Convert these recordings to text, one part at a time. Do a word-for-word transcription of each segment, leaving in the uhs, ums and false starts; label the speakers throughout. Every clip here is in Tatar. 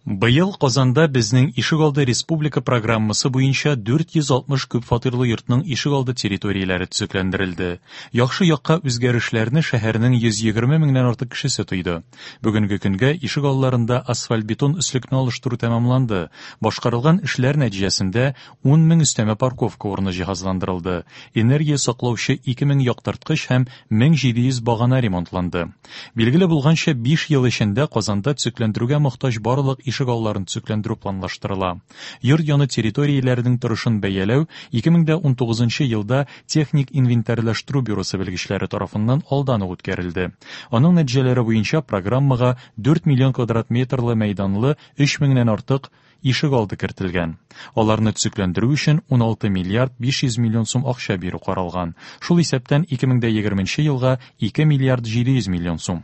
Speaker 1: Быел Казанда «Безнең ишегалды» республика программасы буенча дүрт йөз алтмыш күп фатирлы йортның ишегалды территорияләре төзекләндерелде. Яхшы якка үзгәрешләрне шәһәрнең йөз егерме меңнән артык кешесе тойды. Бүгенге көнгә ишегалларында асфальт-бетон өслекне алыштыру тәмамланды. Башкарылган эшләр нәтиҗәсендә ун мең өстәмә парковка урыны җиһазландырылды. Энергия саклаучы ике мең яктырткыч һәм мең җиде йөз багана ремонтланды. Билгеле булганча, биш ел эчендә Казанда төзекләндерүгә мохтаҗ барлык ишегалларын төзекләндерү планлаштырыла. Йорт яны территорияләренең торышын бәяләү ике мең дә унтугызынчы елда техник инвентарьлаштыру бюросы белгечләре тарафыннан алдан ук үткәрелде. Аның нәтиҗәләре буенча программага дүрт миллион квадрат метрлы мәйданлы өч меңнән артык ишегалды кертелгән. Аларны төзекләндерү өчен уналты миллиард биш йөз миллион сум акча бирү каралган. Шул исәптән ике мең дә егерменче елга ике миллиард җиде йөз миллион сум.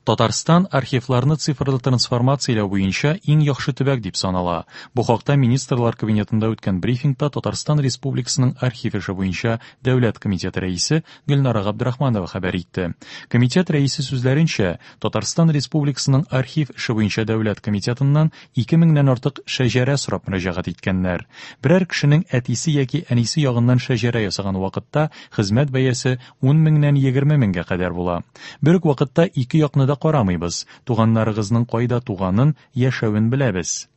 Speaker 1: Татарстан архивларны цифрлы трансформацияләү буенча иң яхшы төбәк дип санала. Бу хакта Министрлар Кабинетында үткән брифингта Татарстан Республикасының архив эше буенча Дәүләт комитеты рәисе Гөлнара Габдрахманова хәбәр итте. Комитет рәисе сүзләренчә, Татарстан Республикасының архив эше буенча Дәүләт комитетыннан ике меңнән артык шәҗәрә сорап мөрәҗәгать иткәннәр. Берәр кешенең әтисе яки әнисе ягыннан шәҗәрә ясаган вакытта хезмәт бәясе ун меңнән егерме меңгә кадәр була. Бер үк вакытта ике якны да карамыйбыз. Туганнарыгызның кайда туганын, яшәвен беләбез.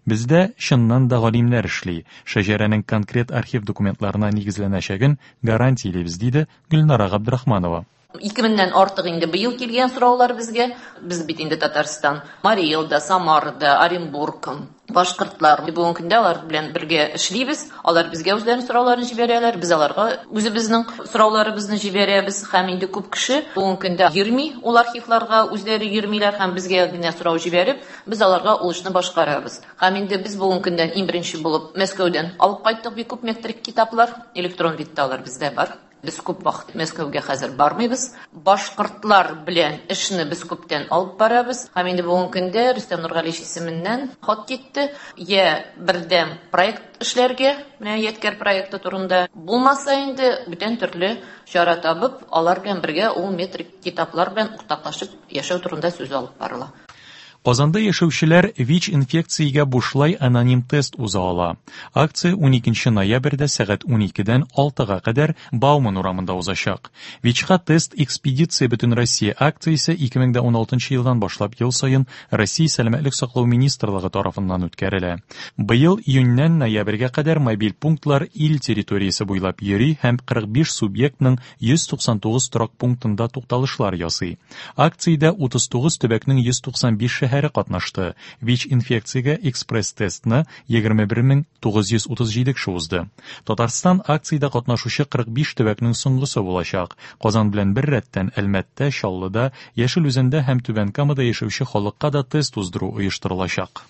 Speaker 1: Бездә чыннан да галимнәр эшли. Шәҗәрәнең конкрет архив документларына нигезләнәчәген гарантиялибез, диде Гөлнара Габдрахманова.
Speaker 2: Ике меңнән артык инде быел килгән сораулар безгә. Без бит инде Татарстан, Марий Элда, Самарда, Оренбург, башкортлар. Бүгенге көндә алар белән бергә эшлибез. Алар безгә үзләренең сорауларын җибәрәләр, без аларга үзебезнең сорауларыбызны җибәрәбез. Һәм инде күп кеше бүгенге көндә йөрми ул архивларга, үзләре йөрмиләр һәм безгә генә сорау җибәреп, без аларга ул эшне башкарабыз. Һәм инде без бүгенге көндән иң беренче булып Мәскәүдән алып кайттык бик күп метрик китаплар, электрон видта алар бездә бар. Без күп вакыт Мәскәүгә хәзер бармыйбыз. Башкортлар белән эшне без күптән алып барабыз. Һәм инде бүгенге көндә Рөстәм Нургалиевич исеменнән хат китте. Я бердәм проект эшләргә, менә Ядкәр проекты турында булмаса инде бүтән төрле чара табып, алар белән бергә ул метрик китаплар белән уртаклашып яшәү турында сүз алып барыла.
Speaker 1: Казанда яшәүчеләр ВИЧ инфекциягә бушлай аноним тест уза ала. Акция уникенче ноябрьдә сәгать уникедән алтыга кадәр Бауман урамында узачак. ВИЧка тест экспедиция Бөтенроссия акциясе ике мең дә уналтынчы елдан башлап ел саен Россия Сәламәтлек саклау министрлыгы тарафыннан үткәрелә. Быел июньнән ноябрьгә кадәр мобиль пунктлар ил территориясе буйлап йөри һәм кырык биш субъектның йөз туксан тугыз торак пунктында тукталышлар ясый. Акциядә утыз тугыз төбәкнең йөз туксан биш шәһәре катнашты. ВИЧ инфекциягә экспресс-тестны егерме бер мең тугыз йөз утыз җиде кеше узды. Татарстан акциядә катнашучы кырык биш төбәкнең соңгысы булачак. Казан белән бер рәттән Әлмәттә, Чаллыда, Яшел Үзәндә һәм Түбән Камада яшәүче халыкка да тест уздыру оештырылачак.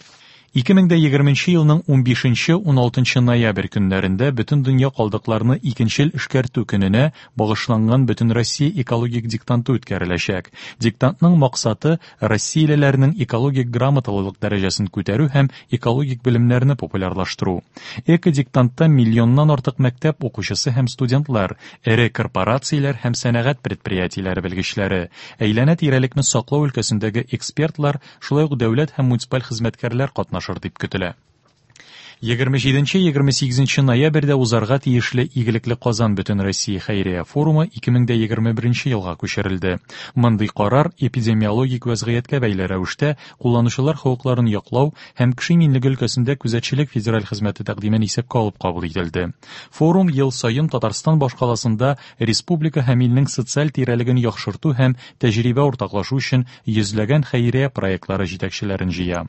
Speaker 1: Ике мең дә егерменче елның унбишенче, уналтынчы ноябрь көннәрендә бөтен дөнья калдыкларны икенчел эшкәртү көненә багышланган Бөтенроссия экологик диктанты үткәреләчәк. Диктантның максаты россиялеләрнең экологик грамоталылык дәрәҗәсен күтәрү һәм экологик белемнәрне популярлаштыру. Эко-диктантта миллионнан артык мәктәп укучысы һәм студентлар, эре корпорацияләр һәм сәнәгать предприятиеләре белгечләре, әйләнә-тирәлекне саклау өлкәсендәге экспертлар, шулай ук дәүләт һәм муниципаль хезмәткәрләр катнаша дип көтелә. Егерме җиденче, егерме сигезенче ноябрьдә узарга тиешле Игелекле Казан Бөтенроссия хәйрия форумы ике мең дә егерме беренче елга күчерелде. Мондый карар эпидемиологик вәзгыятькә бәйле рәвештә кулланучылар хокукларын яклау һәм кеше иминлеге өлкәсендә күзәтчелек федераль хезмәте тәкъдимен исәпкә алып кабул ителде. Форум ел саен Татарстан башкаласында республика һәм илнең социаль тирәлеген яхшырту һәм тәҗрибә уртаклашу өчен йөзләгән хәйрия проектлары җитәкчеләрен җыя.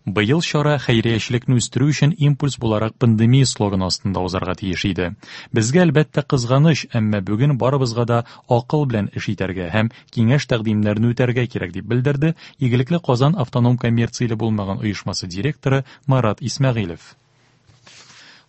Speaker 1: Быел чара хәйриячелекне үстерү өчен импульс буларак пандемия слоганы астында узарга тиеш иде. Безгә әлбәттә кызганыч, әмма бүген барыбызга да акыл белән эш итәргә һәм киңәш тәкъдимнәрен үтәргә кирәк дип белдерде Игелекле Казан автоном коммерцияле булмаган оешмасы директоры Марат Исмәгыйлев.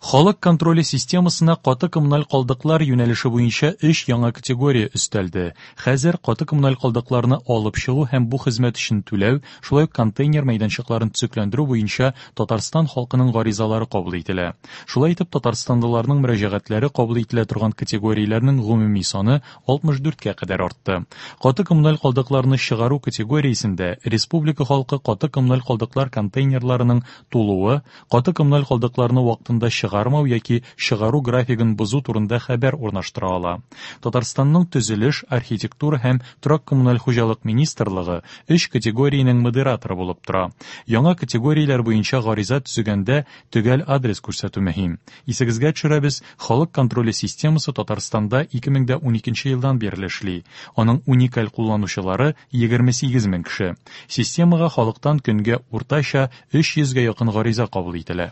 Speaker 1: Халык контроле системасына каты коммуналь калдыклар юнәлеше буенча өч яңа категория өстәлде. Хәзер каты коммуналь калдыкларны алып чыгу һәм бу хезмәт өчен түләү, шулай ук контейнер мәйданчыкларын төзекләндерү буенча Татарстан халкының гаризалары кабул ителә. Шулай итеп, татарстанлыларның мөрәҗәгатьләре кабул ителә торган категорияләрнең гомуми саны алтмыш дүрткә кадәр артты. Каты коммуналь калдыкларны чыгару категориясендә республика халкы каты коммуналь калдыклар контейнерларының тулуы, каты коммуналь калдыкларны вакытында чыгармау яки чыгару графигын бозу турында хәбәр урнаштыра ала. Татарстанның төзелеш, архитектура һәм торак коммуналь хуҗалык министрлыгы өч категориянең модераторы булып тора. Яңа категорияләр буенча гариза төзегәндә төгәл адрес күрсәтү мөһим. Исегезгә төшерәбез, халык контроле системасы Татарстанда ике мең дә уникенче елдан бирле эшли. Аның уникаль кулланучылары егерме сигез мең кеше. Системага халыктан көнгә уртача өч йөзгә якын гариза кабул ителә.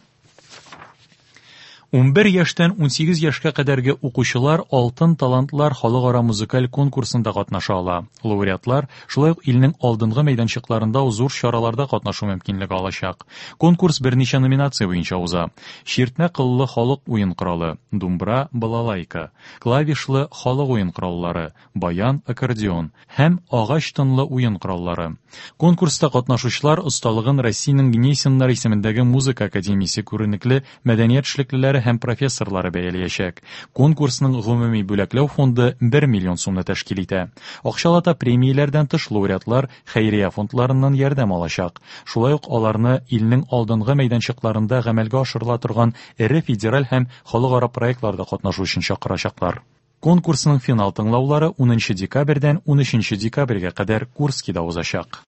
Speaker 1: Унбер яшьтән унсигез яшькә кадәрге укучылар Алтын талантлар халыкара музыкаль конкурсында катнаша ала. Лауреатлар шулай ук илнең алдынгы мәйданчыкларында зур чараларда катнашу мөмкинлеге алачак. Конкурс берничә номинация буенча уза. Чиртмә кыллы халык уен коралы, думбра, балалайка, клавишлы халык уен кораллары, баян, аккордеон һәм агач тынлы уен кораллары. Конкурста катнашучылар осталыгын Россиянең Гнесиннар исемендәге музыка академиясе күренекле мәдәният эшлеклеләре һәм профессорлары бәяләячәк. Конкурсның гомуми бүләкләү фонды бер миллион сумны тәшкил итә. Акчалата премияләрдән тыш лауреатлар хәйрия фондларыннан ярдәм алачак. Шулай ук аларны илнең алдынгы мәйданчыкларында гамәлгә ашырыла торган эре федераль һәм халыкара проектларда катнашу өчен чакырачаклар. Конкурсның финал тыңлаулары унынчы декабрьдән унөченче декабрьгә кадәр Курскида узачак.